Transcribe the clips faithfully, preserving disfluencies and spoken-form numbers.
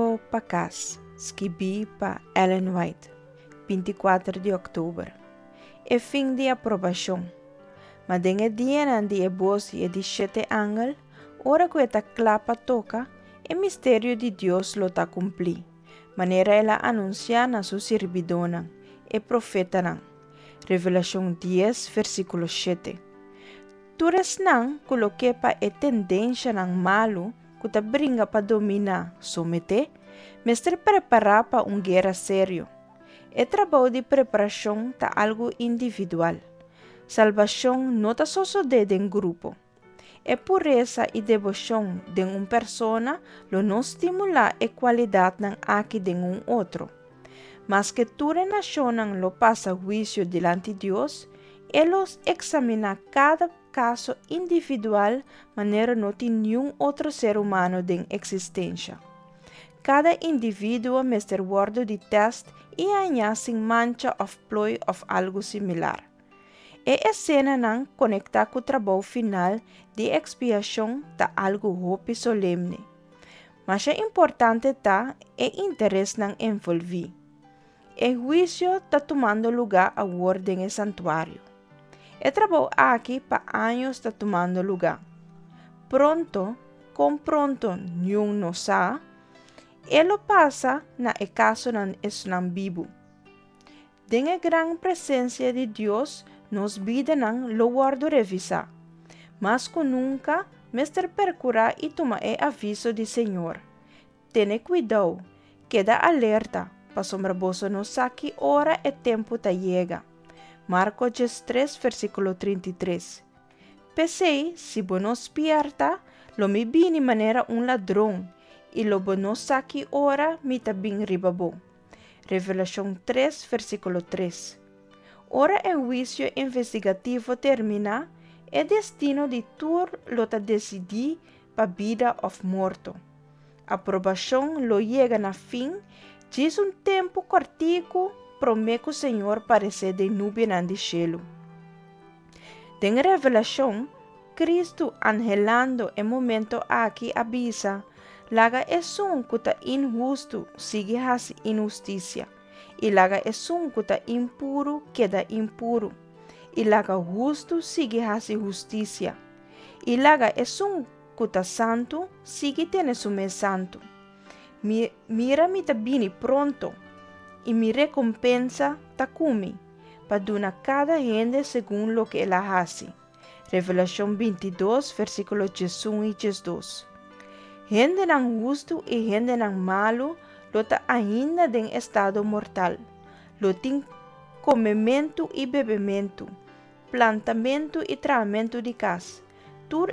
Rumbo pa Kas, skibí pa Ellen White, binti kuater di òktober. E fin di aprobashon. Ma den e dianan di e bos di e di shete angel, ora ku e ta kla pa toka, e misterio di Dios lo ta kumplí, manera el a anunsiá na su sirbidónan, e profetanan. Revelashon dies, versíkulo shete. Tur esnan ku lo ke pa e tendenshanan malu ku ta bringa pa dominá someté, mester prepará pa un guera serio. E trabou di preparashon ta algu individual. Salbashon no ta sosodé den grupo. E puresa i deboshon den un persona lo no stimulá e kualidatnan aki den un otro. Maske tur e nashonnan lo pasa huisio dilanti Dios, E lo eksaminá kada kaso individual manera no tin niun otro ser humano den eksistensha. Kada individuo mester wòrdu di tèst i hañá sin mancha òf ploi òf algu similar. E esenanan konektá ku trabou final di ekspiashon ta algu hopi solemne. Masha importante ta e interesnan envolví. E huisio ta tumando lugá awor den e santuario. E trabou aki pa años ta tumando lugá. Pronto, kon pronto niun no sa, e lo pasa na e kasonan esnan bibu. Den e gran presensia di Dios, nos bidanan lo wòrdu revisá. Mas ku nunka, mester perkurá i tuma e aviso di Señor, Tene kuidou, keda alerta, pasobra boso no sa ki ora e tempu ta yega. Marko diestres, versíkulo trinta i tres. P'esei, si bo no spièrta, lo mi bini manera un ladron, i lo bo no sa ki ora mi ta bin riba bo. Revelashon tres, versíkulo tres. Ora e huisio investigativo terminá, e destino di tur lo ta desidí pa bida òf morto. Aprobashon lo yega na fin djis un tempu kòrtiku promé ku Señor paresé den nubianan di shelu. Den Revelashon, Kristu anhelando e momento aki a bisa, Laga esun ku ta inhustu sigui hasi inhustisia, i laga esun ku ta impuru keda impuru, i laga hustu sigui hasi hustisia, i laga esun ku ta santu sigui tene su mes santu. Mi, mira mi ta bini pronto, i mi rekompensa ta ku mi, pa duna kada hende segun loke el a hasi. Revelashon bintidos, versíkulo diesun i diesdos. Hendenan hustu i hendenan malu lo ta ainda den estado mortal. Lo tin komementu i bebementu, plantamentu i trahamentu di kas, tur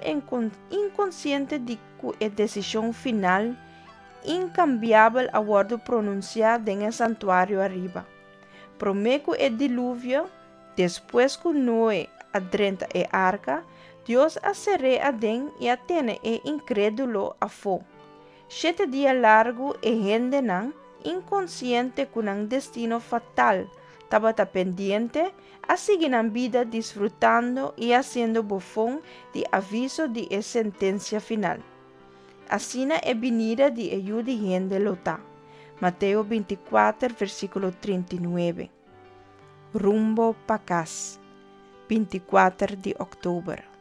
inkonsiente di ku e desishon final inkambiabel a wòrdu pronunsiá den e santuario ariba. Promé ku e diluvio, despues ku Noe a drenta e arka, Dios a ser'é aden i a tene e inkrédulo afó. Shete dia largu e hendenan, inkonsiente ku nan destino fatal tabata pendiente, a sigui nan bida disfrutando i hasiendo bofon di aviso di e sentensia final. Asina e binida di e Yu di hende lo ta. Mateo binti kuater, versíkulo trinta i nuebe. Rumbo pa kas, binti kuater di òktober.